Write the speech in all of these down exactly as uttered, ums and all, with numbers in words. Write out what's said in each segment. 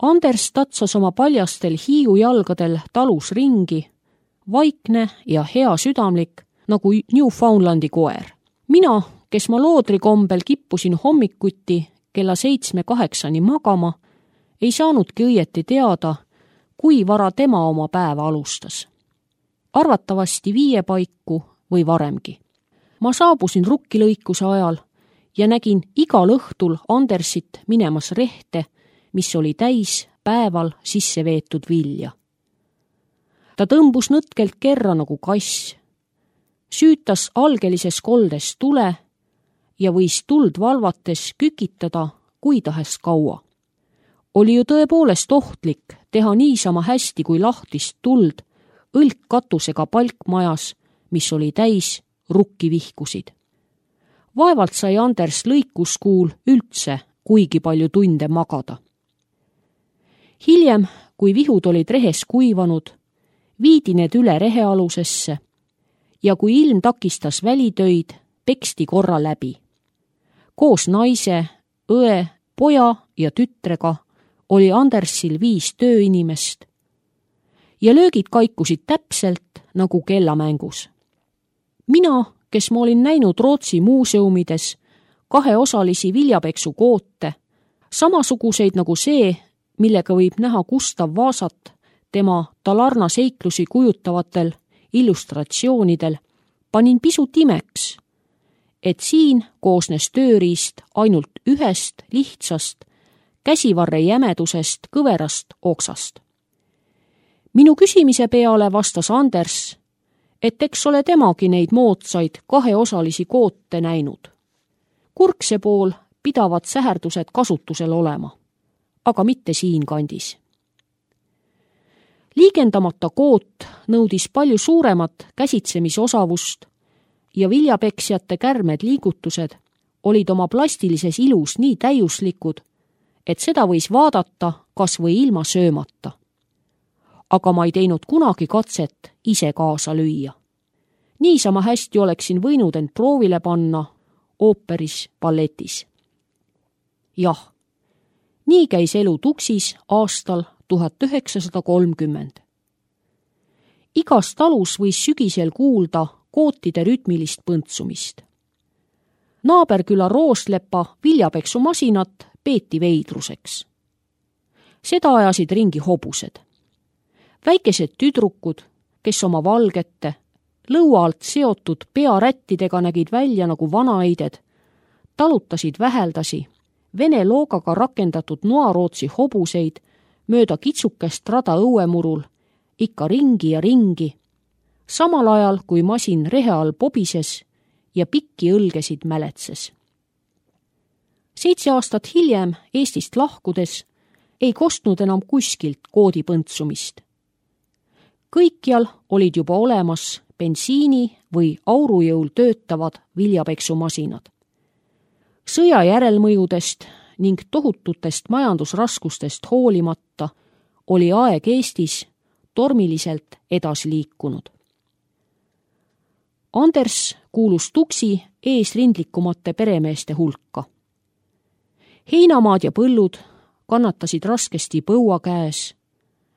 Anders tatsas oma paljastel hiiujalgadel talus ringi, vaikne ja hea südamlik nagu Newfoundlandi koer. Mina, kes ma loodrikombel kippusin hommikuti kella seitsme-kaheksani magama, ei saanudki õieti teada, kui vara tema oma päeva alustas. Arvatavasti viie paiku või varemgi. Ma saabusin rukkilõikuse ajal ja nägin igal õhtul Andersit minemas rehte, mis oli täis päeval sisse veetud vilja. Ta tõmbus nõtkelt kerra nagu kass, süütas algelises koldes tule ja võis tuld valvates kükitada kui tahes kaua. Oli ju tõepoolest ohtlik teha niisama hästi kui lahtist tuld õlkkatusega palkmajas, mis oli täis rukkivihkusid. Vaevalt sai Anders lõikuskuul üldse kuigi palju tunde magada. Hiljem, kui vihud olid rehes kuivanud, viidi need üle rehealusesse ja kui ilm takistas välitöid, peksti korra läbi. Koos naise, õe, poja ja tütrega oli Andersil viis tööinimest ja löögid kaikusid täpselt nagu kellamängus. Mina, kes ma olin näinud Rootsi muuseumides kaheosalisi viljapeksukoote, samasuguseid nagu see, millega võib näha Gustav Vasat tema Talarna seiklusi kujutavatel illustratsioonidel, panin pisut imeks, et siin koosnes tööriist ainult ühest lihtsast käsivarre jämedusest kõverast oksast. Minu küsimise peale vastas Anders, et eks ole temagi neid moodsaid kaheosalisi koote näinud. Kurkse pool pidavad säherdused kasutusel olema, aga mitte siin kandis. Liigendamata koot nõudis palju suuremat käsitsemisosavust ja viljapeksjate kärmed liigutused olid oma plastilises ilus nii täiuslikud, et seda võis vaadata kas või ilma söömata. Aga ma ei teinud kunagi katset ise kaasa lüüa. Niisama hästi oleksin võinud end proovile panna ooperis balletis. Jah, nii käis elu Tuksis aastal tuhat üheksasada kolmkümmend. Igas talus võis sügisel kuulda kootide rütmilist põntsumist. Naaberküla Rooslepa viljapeksumasinat peeti veidruseks. Seda ajasid ringi hobused. Väikesed tüdrukud, kes oma valgete, lõua alt seotud pearättidega nägid välja nagu vanaaided, talutasid väheldasi vene loogaga rakendatud noarootsi hobuseid mööda kitsukest rada õuemurul ikka ringi ja ringi, samal ajal kui masin rehe all pobises ja pikki õlgesid mäletses. Seitse aastat hiljem Eestist lahkudes ei kostnud enam kuskilt koodipõntsumist. Kõikjal olid juba olemas bensiini või aurujõul töötavad viljapeksumasinad. Sõja järelmõjudest ning tohututest majandusraskustest hoolimata oli aeg Eestis tormiliselt edasi liikunud. Anders kuulus Tuksi eesrindlikumate peremeeste hulka. Heinamaad ja põllud kannatasid raskesti põua käes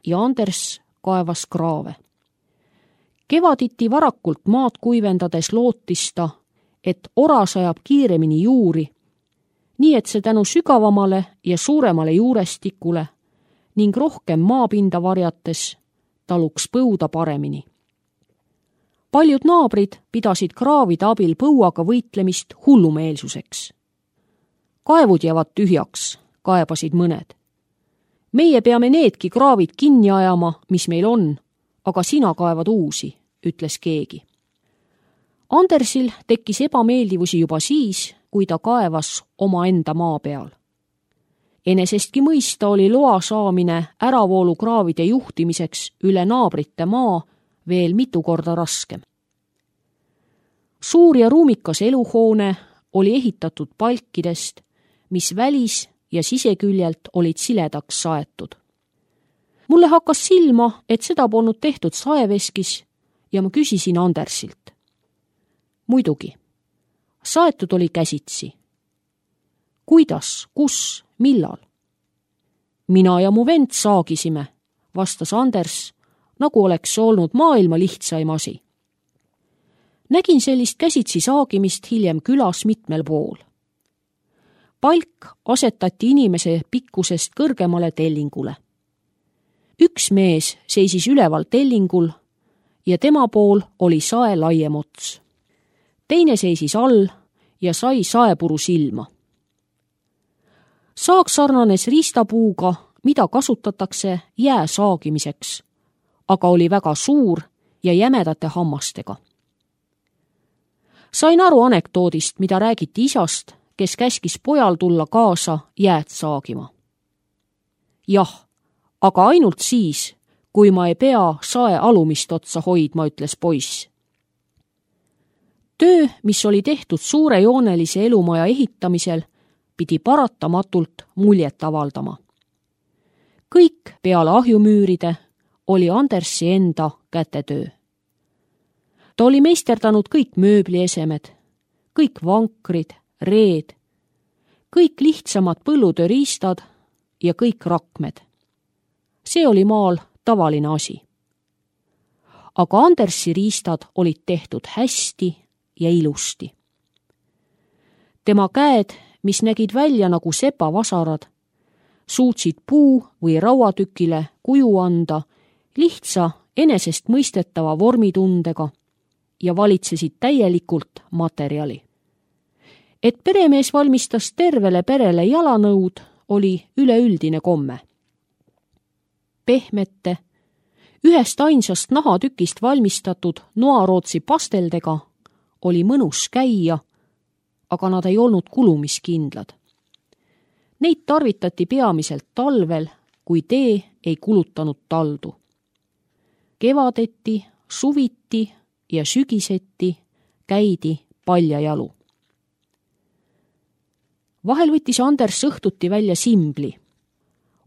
ja Anders kaevas kraave. Kevaditi varakult maad kuivendades lootista, et ora sajab kiiremini juuri, nii et see tänu sügavamale ja suuremale juurestikule ning rohkem maapinda varjates taluks põuda paremini. Paljud naabrid pidasid kraavide abil põuaga võitlemist hullumeelsuseks. Kaevud jäävad tühjaks, kaebasid mõned. Meie peame needki kraavid kinni ajama, mis meil on, aga sina kaevad uusi, ütles keegi. Andersil tekkis ebameeldivusi juba siis, kui ta kaevas omaenda maa peal. Enesestki mõista oli loa saamine äravoolukraavide juhtimiseks üle naabrite maa veel mitu korda raskem. Suur ja ruumikas eluhoone oli ehitatud palkidest, mis välis- ja siseküljelt olid siledaks saetud. Mulle hakkas silma, et seda polnud tehtud saeveskis ja ma küsisin Andersilt. Muidugi, saetud oli käsitsi. Kuidas, kus, millal? mina ja mu vend saagisime, vastas Anders, nagu oleks olnud maailma lihtsaim asi. Nägin sellist käsitsi saagimist hiljem külas mitmel pool. Palk asetati inimese pikkusest kõrgemale tellingule. Üks mees seisis üleval tellingul ja tema pool oli sae laiem ots. Teine seisis all ja sai saepuru silma. Saag sarnanes riistapuuga, mida kasutatakse jää saagimiseks, aga oli väga suur ja jämedate hammastega. Sain aru anekdoodist, mida räägiti isast, kes käskis pojal tulla kaasa jääd saagima. Jah, aga ainult siis, kui ma ei pea sae alumist otsa hoidma, ütles poiss. Töö, mis oli tehtud suurejoonelise elumaja ehitamisel, pidi paratamatult muljet avaldama. Kõik peale ahjumüüride oli Andersi enda kätetöö. Ta oli meisterdanud kõik mööbliesemed, kõik vankrid, reed, kõik lihtsamad põllutööriistad ja kõik rakmed. See oli maal tavaline asi. Aga Andersi riistad olid tehtud hästi ja ilusti. Tema käed, mis nägid välja nagu sepavasarad, suutsid puu või rauatükile kuju anda lihtsa enesest mõistetava vormitundega ja valitsesid täielikult materjali. Et peremees valmistas tervele perele jalanõud, oli üleüldine komme. Pehmete, ühest ainsast nahatükist valmistatud noarootsi pasteldega oli mõnus käia, aga nad ei olnud kulumiskindlad. Neid tarvitati peamiselt talvel, kui tee ei kulutanud taldu. Kevadeti, suviti ja sügiseti käidi paljajalu. Vahel võttis Anders õhtuti välja simbli,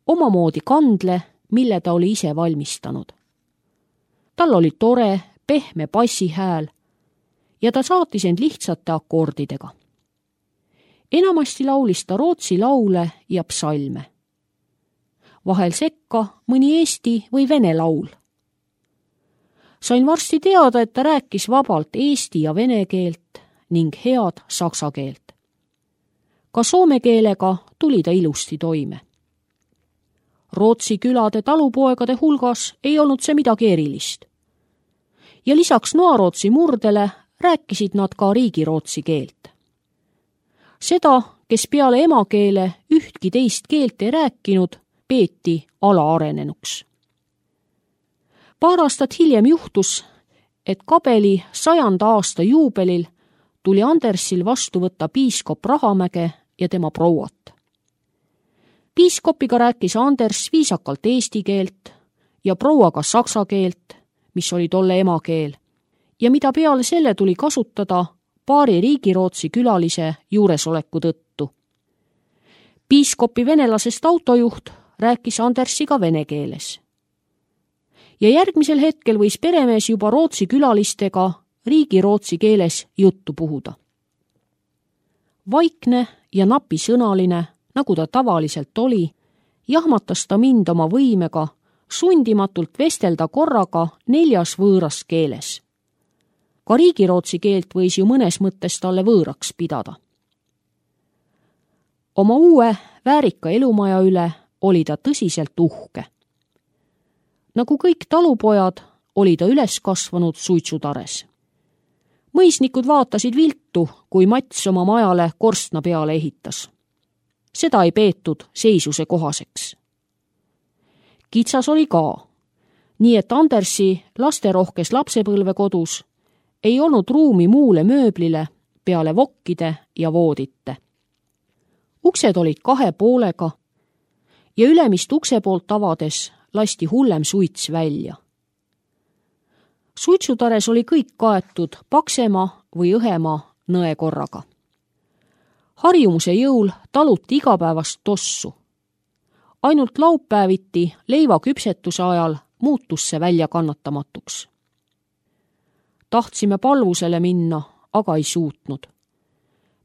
omamoodi kandle, mille ta oli ise valmistanud. Tal oli tore, pehme bassihääl ja ta saatis end lihtsate akordidega. Enamasti laulis ta rootsi laule ja psalme. Vahel sekka mõni eesti või vene laul. Sain varsti teada, et ta rääkis vabalt eesti ja vene keelt ning head saksa keelt. Ka soome keelega tuli ta ilusti toime. Rootsi külade talupoegade hulgas ei olnud see midagi erilist. Ja lisaks noarootsi murdele rääkisid nad ka riigirootsi keelt. Seda, kes peale emakeele ühtki teist keelt ei rääkinud, peeti alaarenenuks. Paar aastat hiljem juhtus, et Kabeli sajanda aasta juubelil tuli Andersil vastu võtta piiskop Rahamäge ja tema prouat. Piiskopiga rääkis Anders viisakalt eesti keelt ja prouaga saksa keelt, mis oli tolle emakeel, ja mida peale selle tuli kasutada paari riigirootsi külalise juuresoleku tõttu. Piiskopi venelasest autojuht rääkis Andersiga vene keeles. Ja järgmisel hetkel võis peremees juba rootsi külalistega riigirootsi keeles juttu puhuda. Vaikne ja napisõnaline, nagu ta tavaliselt oli, jahmatas ta mind oma võimega sundimatult vestelda korraga neljas võõras keeles. Ka riigirootsi keelt võis ju mõnes mõttes talle võõraks pidada. Oma uue väärika elumaja üle oli ta tõsiselt uhke. Nagu kõik talupojad, oli ta üles kasvanud suitsutares. Mõisnikud vaatasid viltu, kui Mats oma majale korstna peale ehitas. Seda ei peetud seisuse kohaseks. Kitsas oli ka, nii et Andersi lasterohkes lapsepõlvekodus ei olnud ruumi muule mööblile peale vokkide ja voodite. Uksed olid kahe poolega ja ülemist ukse poolt avades lasti hullem suits välja. Suitsutares oli kõik kaetud paksema või õhema nõekorraga. Harjumuse jõul taluti igapäevast tossu. Ainult laupäeviti leiva küpsetuse ajal muutus see välja kannatamatuks. Tahtsime palvusele minna, aga ei suutnud.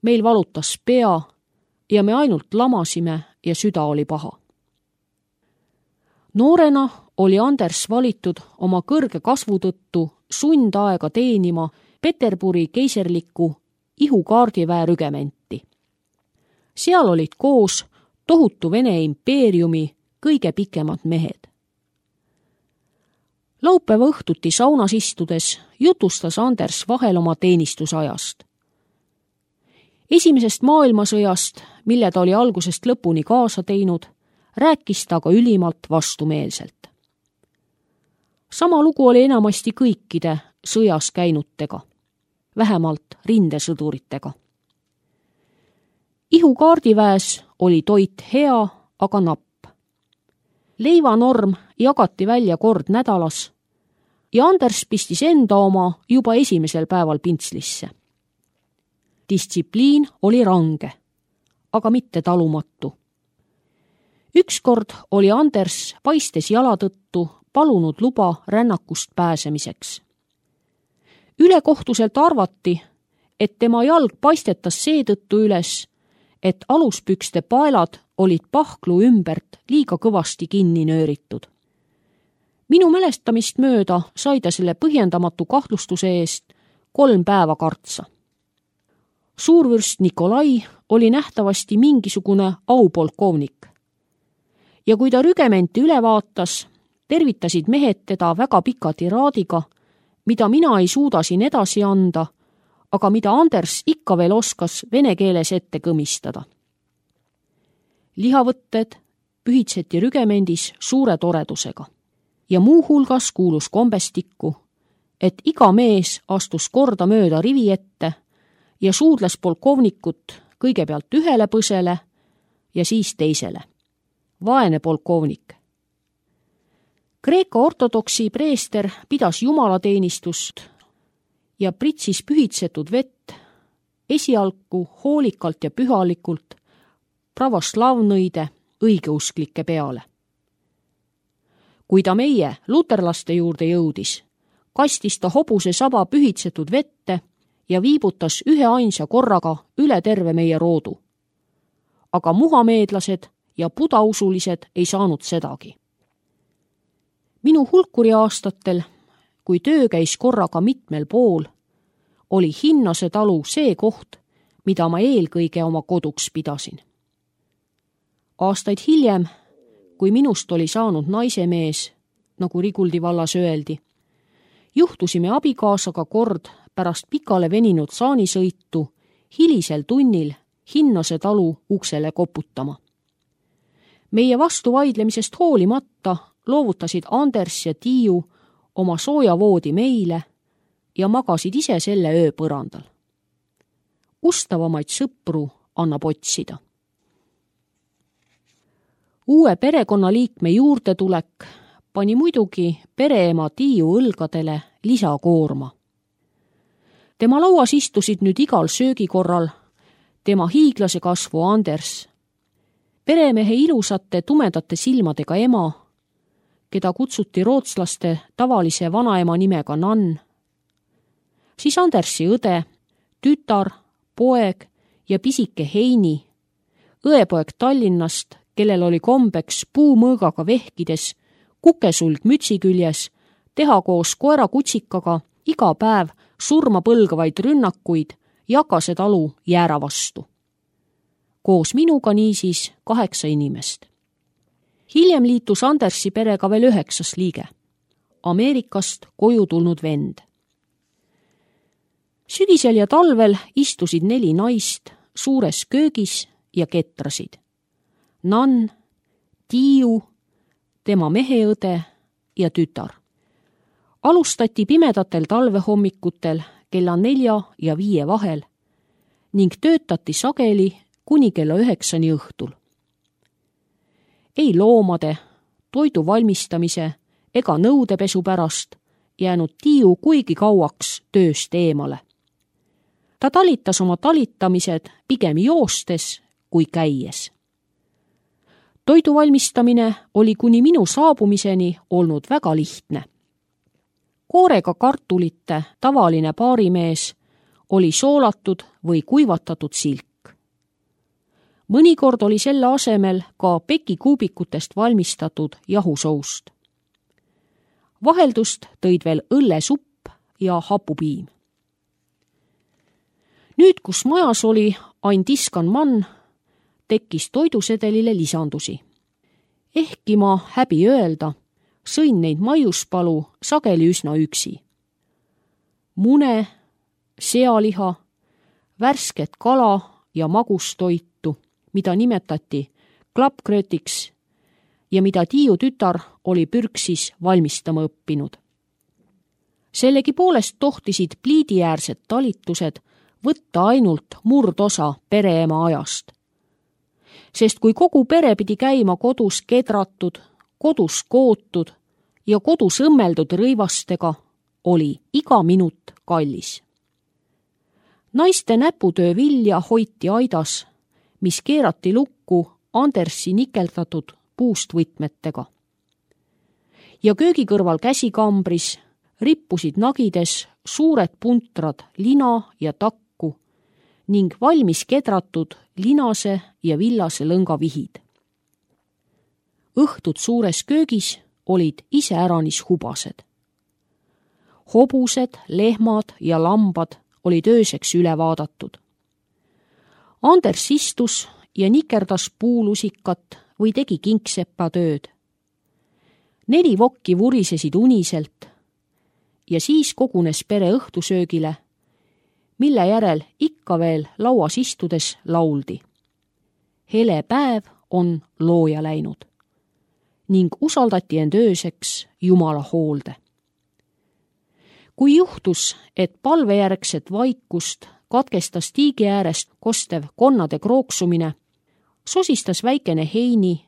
Meil valutas pea ja me ainult lamasime ja süda oli paha. Noorena oli Anders valitud oma kõrge kasvu tõttu sundaega teenima Peterburi keiserlikku ihukaardiväe rügementi. Seal olid koos tohutu Vene impeeriumi kõige pikemad mehed. Laupäeva õhtuti saunas istudes jutustas Anders vahel oma teenistusajast. Esimesest maailmasõjast, mille ta oli algusest lõpuni kaasa teinud, rääkis ta aga ülimalt vastumeelselt. Sama lugu oli enamasti kõikide sõjas käinutega, vähemalt rindesõduritega. Ihukaardiväes oli toit hea, aga napp. Leivanorm jagati välja kord nädalas ja Anders pistis enda oma juba esimesel päeval pintslisse. Distsipliin oli range, aga mitte talumatu. Ükskord oli Anders paistes jala tõttu palunud luba rännakust pääsemiseks. Ülekohtuselt arvati, et tema jalg paistetas seetõttu üles, et aluspükste paelad olid pahklu ümbert liiga kõvasti kinni nööritud. Minu mälestamist mööda sai ta selle põhjendamatu kahtlustuse eest kolm päeva kartsa. Suurvürst Nikolai oli nähtavasti mingisugune aupolkovnik. Ja kui ta rügementi üle vaatas, tervitasid mehed teda väga pika tiraadiga, mida mina ei suuda siin edasi anda, aga mida Anders ikka veel oskas vene keeles ette kõmistada. Lihavõtted pühitseti rügemendis suure toredusega ja muu hulgas kuulus kombestikku, et iga mees astus korda mööda rivi ette ja suudles polkovnikut kõigepealt ühele põsele ja siis teisele. Vaene polkovnik. Kreeka ortodoksi preester pidas jumalateenistust ja pritsis pühitsetud vett esialgu hoolikalt ja pühalikult pravoslavnõide õigeusklike peale. Kui ta meie luterlaste juurde jõudis, kastis ta hobuse saba pühitsetud vette ja viibutas ühe ainsa korraga üle terve meie roodu. Aga muhameedlased ja budausulised ei saanud sedagi. Minu hulkuri aastatel, kui töö käis korraga mitmel pool, oli Hinnase talu see koht, mida ma eelkõige oma koduks pidasin. Aastaid hiljem, kui minust oli saanud naisemees, nagu Riguldi vallas öeldi, juhtusime abikaasaga kord pärast pikale veninud saanisõitu hilisel tunnil Hinnase talu uksele koputama. Meie vastu vaidlemisest hoolimata loovutasid Anders ja Tiiu oma soojavoodi meile ja magasid ise selle öö põrandal. Ustavamaid sõpru annab otsida. Uue perekonnaliikme juurdetulek pani muidugi pereema Tiiu õlgadele lisakoorma. Tema lauas istusid nüüd igal söögikorral tema hiiglase kasvu Anders, peremehe ilusate tumedate silmadega ema, keda kutsuti rootslaste tavalise vanaema nimega Nann, siis Andersi õde, tütar, poeg ja pisike Heini, õepoeg Tallinnast, kellel oli kombeks puumõõgaga vehkides, kukesulg mütsi küljes, teha koos koera kutsikaga iga päev surma põlgavaid rünnakuid Jakase talu jäära vastu. Koos minuga niisiis kaheksa inimest. Hiljem liitus Andersi perega veel üheksas liige, Ameerikast koju tulnud vend. Sügisel ja talvel istusid neli naist suures köögis ja ketrasid. Nann, Tiiu, tema meheõde ja tütar. Alustati pimedatel talvehommikutel kella nelja ja viie vahel ning töötati sageli kuni kella üheksani õhtul. Ei loomade, toidu valmistamise ega nõudepesu pärast jäänud Tiiu kuigi kauaks tööst eemale. Ta talitas oma talitamised pigem joostes kui käies. Toidu valmistamine oli kuni minu saabumiseni olnud väga lihtne. Koorega kartulite tavaline baarimees oli soolatud või kuivatatud silk. mõnikord oli selle asemel ka pekikuubikutest valmistatud jahusoust. Vaheldust tõid veel õllesupp ja hapupiim. Nüüd, kus majas oli ain tiskan mann, tekkis toidusedelile lisandusi. Ehkki ma häbi öelda, sõin neid maiuspalu sageli üsna üksi. Mune, sealiha, värsket kala ja magustoitu, mida nimetati klappkröötiks ja mida Tiiu tütar oli pürksis valmistama õppinud. Sellegipoolest tohtisid pliidiäärsed talitused võtta ainult murdosa pereema ajast. Sest kui kogu pere pidi käima kodus kedratud, kodus kootud ja kodus õmmeldud rõivastega, oli iga minut kallis. Naiste näputöö vilja hoiti aidas, mis keerati lukku Andersi nikeldatud puust võtmetega. Ja köögikõrval käsikambris rippusid nagides suured puntrad lina ja takku ning valmis kedratud linase ja villase lõnga vihid. Õhtud suures köögis olid iseäranis hubased. Hobused, lehmad ja lambad olid ööseks üle vaadatud. Anders istus ja nikerdas puulusikat või tegi kingsepa tööd. Neli vokki vurisesid uniselt ja siis kogunes pere õhtusöögile, mille järel ikka veel lauas istudes lauldi. Hele päev on looja läinud ning usaldati end ööseks Jumala hoolde. Kui juhtus, et palvejärgset vaikust katkestas tiigi äärest kostev konnade krooksumine, sosistas väikene Heini,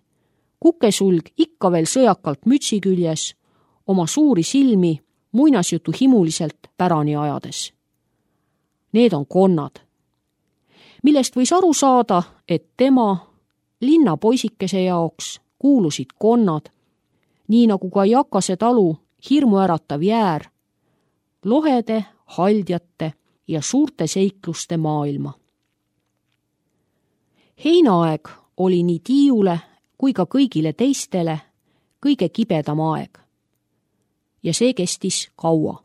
kukesulg ikka veel sõjakalt mütsi küljes, oma suuri silmi muinasjutu himuliselt pärani ajades. Need on konnad, millest võis aru saada, et tema linna poisikese jaoks kuulusid konnad, nii nagu ka Jakase talu hirmuäratav jäär, lohede, haldjate ja suurte seikluste maailma. Heinaaeg oli nii Tiiule kui ka kõigile teistele kõige kibedam aeg. Ja see kestis kaua.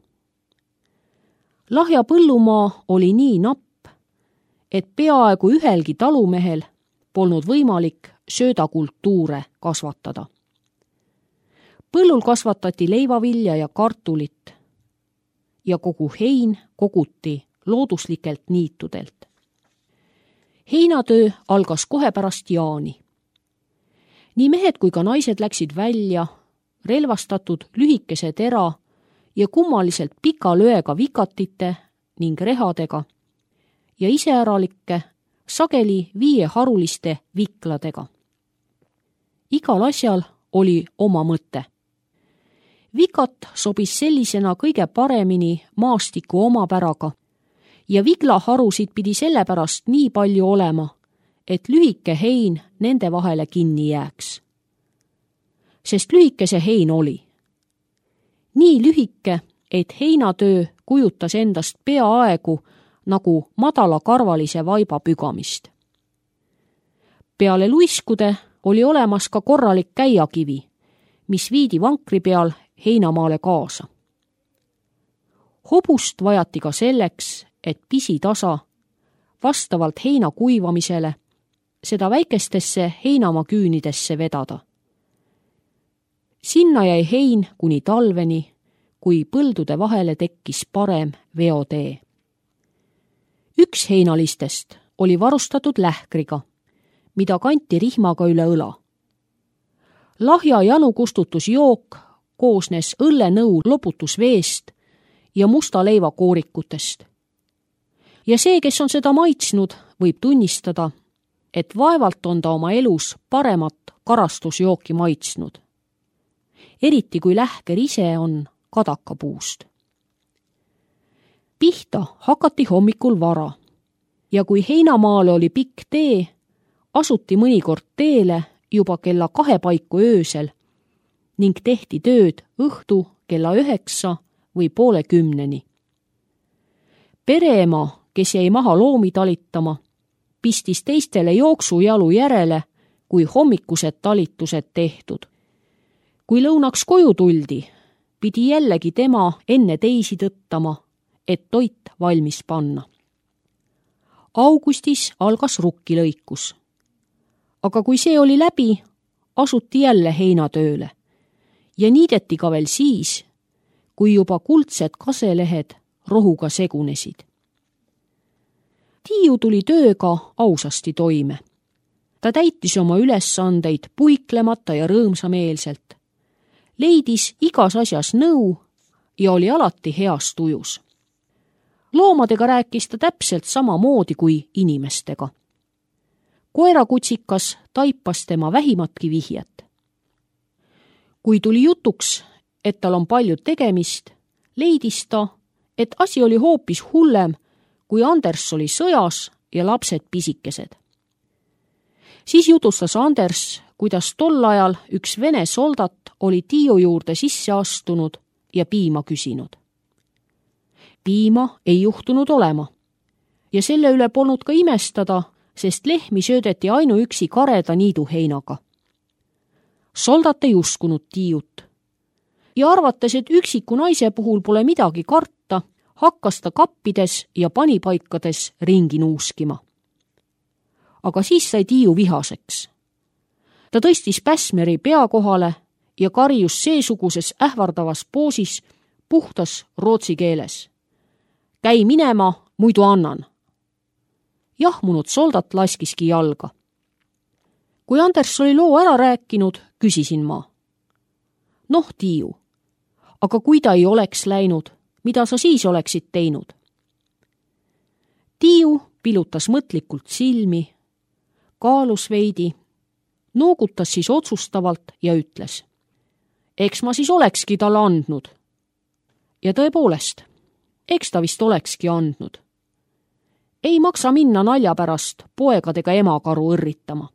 Lahja põllumaa oli nii napp, et peaaegu ühelgi talumehel polnud võimalik söödakultuure kasvatada. Põllul kasvatati leivavilja ja kartulit ja kogu hein koguti looduslikelt niitudelt. Heinatöö algas kohe pärast jaani. Nii mehed kui ka naised läksid välja, relvastatud lühikese tera ja kummaliselt pika lööga vikatite ning rehadega ja iseäralikke, sageli viieharuliste vikladega. Igal asjal oli oma mõte. Vikat sobis sellisena kõige paremini maastiku omapäraga ja viglaharusid pidi sellepärast nii palju olema, et lühike hein nende vahele kinni jääks. Sest lühike see hein oli. Nii lühike, et heinatöö kujutas endast peaaegu nagu madalakarvalise vaiba pügamist. Peale luiskude oli olemas ka korralik käiakivi, mis viidi vankri peal heinamaale kaasa. Hobust vajati ka selleks, et pisitasa, vastavalt heina kuivamisele, seda väikestesse heinamaa küünidesse vedada. Sinna jäi hein kuni talveni, kui põldude vahele tekkis parem veotee. Üks heinalistest oli varustatud lähkriga, mida kanti rihmaga üle õla. Lahja janukustutusjook koosnes õllenõu loputusveest ja musta leiva koorikutest. Ja see, kes on seda maitsnud, võib tunnistada, et vaevalt on ta oma elus paremat karastusjooki maitsnud. Eriti kui lähker ise on kadakapuust. Pihta hakati hommikul vara ja kui heinamaale oli pikk tee, asuti mõnikord teele juba kella kahe paiku öösel ning tehti tööd õhtu kella üheksa või poole kümneni. Pereema, kes jäi maha loomi talitama, pistis teistele jooksujalu järele, kui hommikused talitused tehtud. Kui lõunaks koju tuldi, pidi jällegi tema enne teisi tõttama, et toit valmis panna. Augustis algas rukkilõikus. Aga kui see oli läbi, asuti jälle heinatööle ja niideti ka veel siis, kui juba kuldsed kaselehed rohuga segunesid. Tiiu tuli tööga ausasti toime. Ta täitis oma ülesandeid puiklemata ja rõõmsameelselt, leidis igas asjas nõu ja oli alati heas tujus. Loomadega rääkis ta täpselt samamoodi kui inimestega. Koerakutsikas taipas tema vähimatki vihjet. Kui tuli jutuks, et tal on palju tegemist, leidis ta, et asi oli hoopis hullem, kui Anders oli sõjas ja lapsed pisikesed. Siis jutustas Anders, kuidas tol ajal üks vene soldat oli Tiiu juurde sisse astunud ja piima küsinud. Piima ei juhtunud olema ja selle üle polnud ka imestada, sest lehmi söödeti ainuüksi kareda niiduheinaga. Soldat ei uskunud Tiiut ja arvates, et üksiku naise puhul pole midagi karta, hakkas ta kappides ja panipaikades ringi nuuskima. Aga siis sai Tiiu vihaseks. Ta tõstis Päsmeri pea kohale ja karjus seesuguses ähvardavas poosis puhtas rootsi keeles. Käi minema, muidu annan. Jahmunud soldat laskiski jalga. Kui Anders oli loo ära rääkinud, küsisin ma. Noh, Tiiu, aga kui ta ei oleks läinud, mida sa siis oleksid teinud? Tiiu pilutas mõtlikult silmi, kaalus veidi, noogutas siis otsustavalt ja ütles. Eks ma siis olekski talle andnud. Ja tõepoolest, eks ta vist olekski andnud. Ei maksa minna nalja pärast poegadega emakaru õrritama.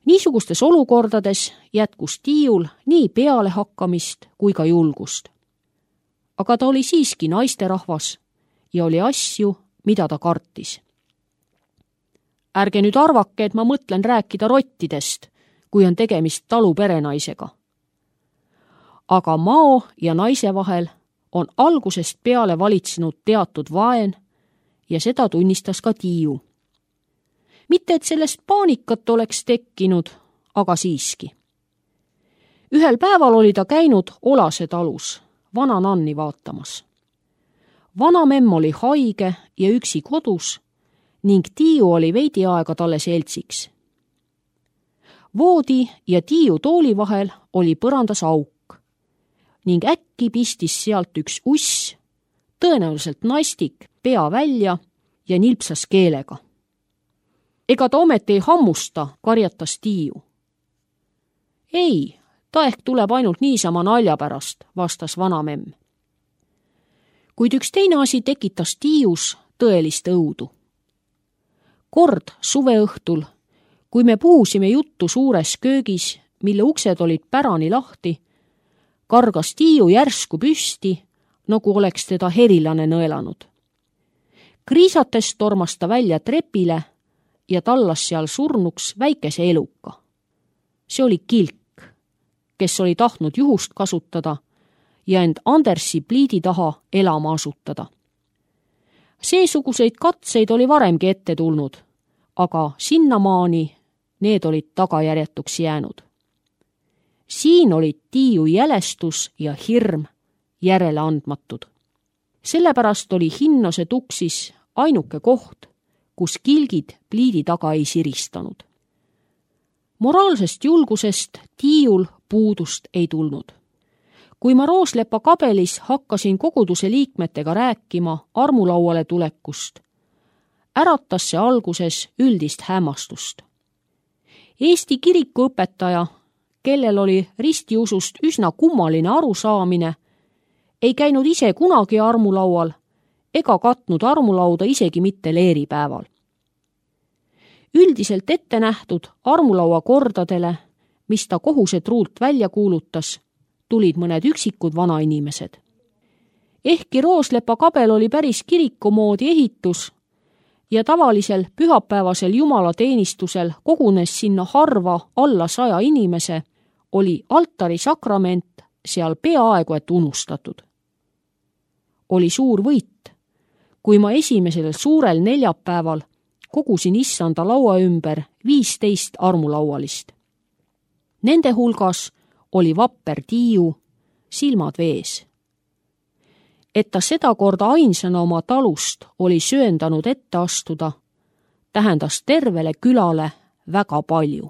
Niisugustes olukordades jätkus Tiiul nii peale hakkamist kui ka julgust. Aga ta oli siiski naisterahvas ja oli asju, mida ta kartis. Ärge nüüd arvake, et ma mõtlen rääkida rottidest, kui on tegemist talu perenaisega. Aga mao ja naise vahel on algusest peale valitsenud teatud vaen ja seda tunnistas ka Tiiu. Mitte, et sellest paanikat oleks tekkinud, aga siiski. Ühel päeval oli ta käinud Olase talus, vana Nanni vaatamas. Vana memm oli haige ja üksi kodus ning Tiiu oli veidi aega talle seltsiks. Voodi ja Tiiu tooli vahel oli põrandas auk ning äkki pistis sealt üks uss, tõenäoliselt nastik, pea välja ja nilpsas keelega. Ega ta ometi ei hammusta, karjatas Tiiu. Ei, ta ehk tuleb ainult niisama nalja pärast, vastas vanamemm. Kuid üks teine asi tekitas Tiius tõelist õudu. Kord suveõhtul, kui me puhusime juttu suures köögis, mille uksed olid pärani lahti, kargas Tiiu järsku püsti, nagu oleks teda herilane nõelanud. Kriisates tormas ta välja trepile ja tallas seal surnuks väikese eluka. See oli Kilk, kes oli tahtnud juhust kasutada ja end Andersi pliidi taha elama asutada. Seesuguseid katseid oli varemgi ette tulnud, aga sinnamaani need olid tagajärjetuks jäänud. Siin olid Tiiu jälestus ja hirm järele andmatud. Sellepärast oli Hinnose tuksis ainuke koht, kus kilgid pliidi taga ei siristanud. Moraalsest julgusest Tiiul puudust ei tulnud. Kui ma Rooslepa kabelis hakkasin koguduse liikmetega rääkima armulauale tulekust, äratas see alguses üldist hämmastust. Eesti kirikuõpetaja, kellel oli ristiusust üsna kummaline arusaamine, ei käinud ise kunagi armulaual ega katnud armulauda isegi mitte leeripäeval. Üldiselt ette nähtud armulaua kordadele, mis ta kohusetruult välja kuulutas, tulid mõned üksikud vanainimesed. Ehkki Rooslepa kabel oli päris kiriku moodi ehitus ja tavalisel pühapäevasel jumalateenistusel kogunes sinna harva alla saja inimese, oli altari sakrament seal peaaegu et unustatud. Oli suur võit, kui ma esimesel suurel neljapäeval kogusin issanda laua ümber viisteist armulaualist. Nende hulgas oli vapper Tiiu, silmad vees. Et ta seda korda ainsana oma talust oli sööndanud ette astuda, tähendas tervele külale väga palju.